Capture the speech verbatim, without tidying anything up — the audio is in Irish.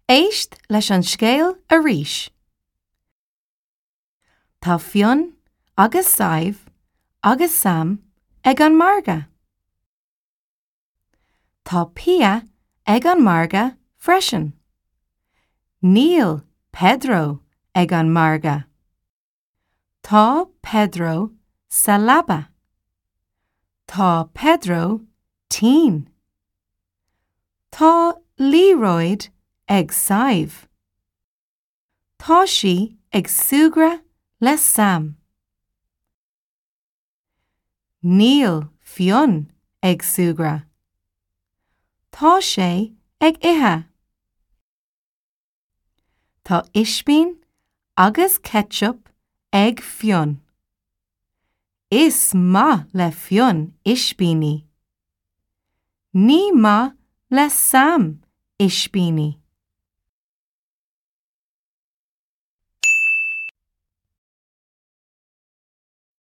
Éist leis an scéal arís. Tá Fionn agus Sadhbh agus Sam ag an margadh. Tá Pia ag an margadh freisin. Níl Pedro ag an margadh. Tá Pedro sa leaba. Tá Pedro tinn. Tá liathróid ag Sadhbh. Tá sí ag súgradh le Sam. Níl Fionn ag súgradh. Tá sé ag ithe. Tá ispín agus ketchup ag Fionn. Is maith le Fionn ispíní. Ní maith le Sam ispíní.